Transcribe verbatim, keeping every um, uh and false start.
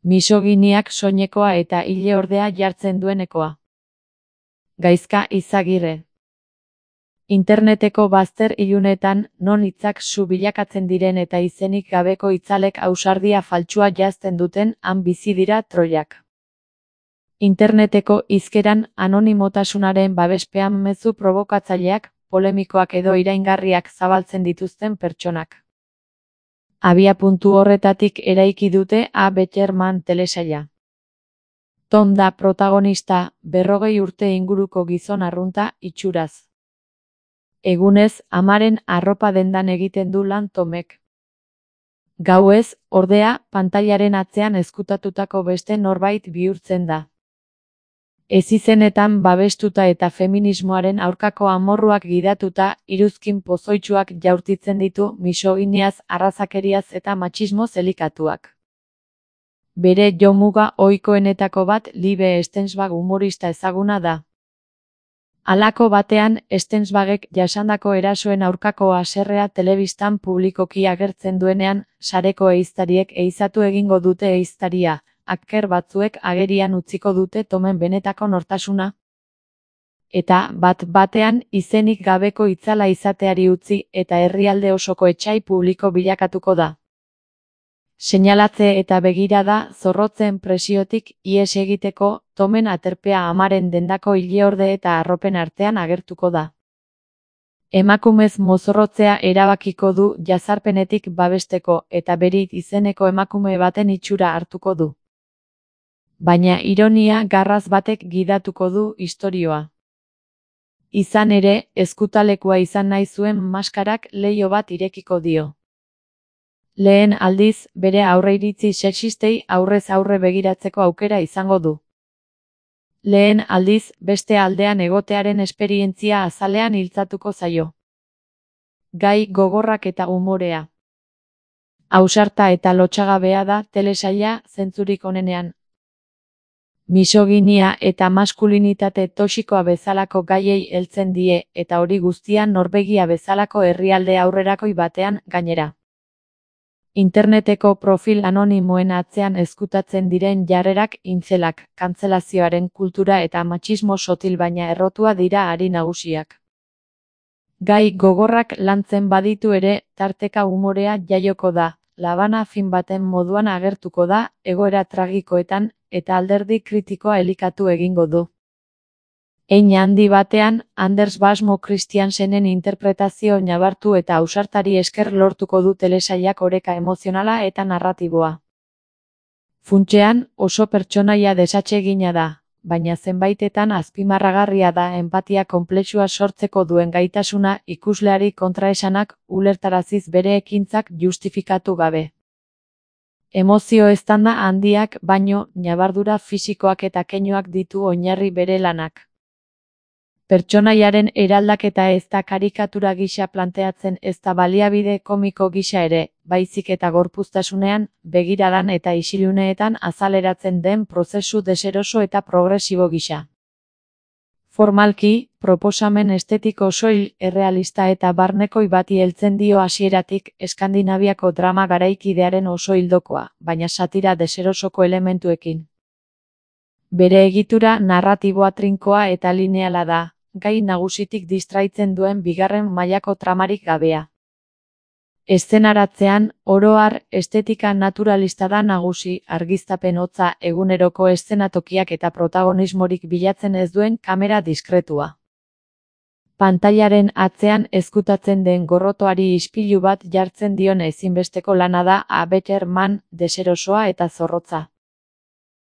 Misoginiak soinekoa eta ile ordea jartzen duenekoa. Gaizka Izagirre. Interneteko bazter ilunetan, non hitzak zu bilakatzen diren eta izenik gabeko itzalek ausardia faltsua jazten duten, han bizi dira troiak. Interneteko hizkeran anonimotasunaren babespean mezu probokatzaileak, polemikoak edo iraingarriak zabaltzen dituzten pertsonak. Abiapuntu horretatik eraiki dute A Better Man telesaila. Tom da protagonista, berrogei urte inguruko gizon arrunta, itxuraz. Egunez, amaren arropa dendan egiten du lan Tomek. Gauez, ordea, pantailaren atzean ezkutatutako beste norbait bihurtzen da. Ezizenetan babestuta eta feminismoaren aurkako amorruak gidatuta, iruzkin pozoitsuak jaurtitzen ditu misoginiaz, arrazakeriaz eta matxismoz elikatuak. Bere jomuga ohikoenetako bat Libe Stensbach humorista ezaguna da. Halako batean, Stensbachek jasandako erasoen aurkako haserrea telebistan publikoki agertzen duenean, sareko ehiztariek ehizatu egingo dute ehiztaria, hacker batzuek agerian utziko dute Tomen benetako nortasuna. Eta, bat batean, izenik gabeko itzala izateari utzi eta herrialde osoko etsai publiko bilakatuko da. Seinalatze eta begirada zorrotzen presiotik ihes egiteko, Tomen aterpea amaren dendako ileorde eta arropen artean agertuko da. Emakumez mozorrotzea erabakiko du jazarpenetik babesteko eta Berit izeneko emakume baten itxura hartuko du. Baina ironia garraz batek gidatuko du istorioa. Izan ere, ezkutalekua izan nahi zuen maskarak leiho bat irekiko dio. Lehen aldiz, bere aurreiritzi sexistei aurrez aurre begiratzeko aukera izango du. Lehen aldiz, beste aldean egotearen esperientzia azalean iltzatuko zaio. Gai gogorrak eta umorea. Ausarta eta lotsagabea da telesaila zentzurik onenean. Misoginia eta maskulinitate toxikoa bezalako gaiei heltzen die eta hori guztia Norvegia bezalako herrialde aurrerakoi batean gainera. Interneteko profil anonimoen atzean ezkutatzen diren jarrerak intzelak, kantzelazioaren kultura eta matxismo sotil baina errotua dira ari nagusiak. Gai gogorrak lantzen baditu ere, tarteka umorea jaioko da, labana fin baten moduan agertuko da, egoera tragikoetan, eta alderdi kritikoa elikatu egingo du. Hein handi batean, Anders Basmo Christiansenen interpretazio nabartu eta ausartari esker lortuko du telesailak oreka emozionala eta narratiboa. Funtsean, oso pertsonaia desatsegina da, baina zenbaitetan azpimarragarria da enpatia konplexua sortzeko duen gaitasuna ikusleari kontraesanak ulertaraziz bere ekintzak justifikatu gabe. Emozio eztanda handiak baino, ñabardura fisikoak eta keinuak ditu oinarri bere lanak. Pertsonaiaren eraldaketa ez da karikatura gisa planteatzen ez da baliabide komiko gisa ere, baizik eta gorpuztasunean, begiradan eta isiluneetan azaleratzen den prozesu deseroso eta progresibo gisa. Formalki, proposamen estetiko soil, errealista eta barnekoi bati heltzen dio hasieratik Eskandinaviako drama garaikidearen oso hildokoa, baina satira deserosoko elementuekin. Bere egitura narratiboa trinkoa eta lineala da, gai nagusitik distraitzen duen bigarren mailako tramarik gabea. Eszenaratzean, oro har, estetika naturalista da nagusi, argiztapen hotza, eguneroko eszenatokiak eta protagonismorik bilatzen ez duen kamera diskretua. Pantailaren atzean ezkutatzen den gorrotoari ispilu bat jartzen dion ezinbesteko lana da A Better Man, deserosoa eta zorrotza.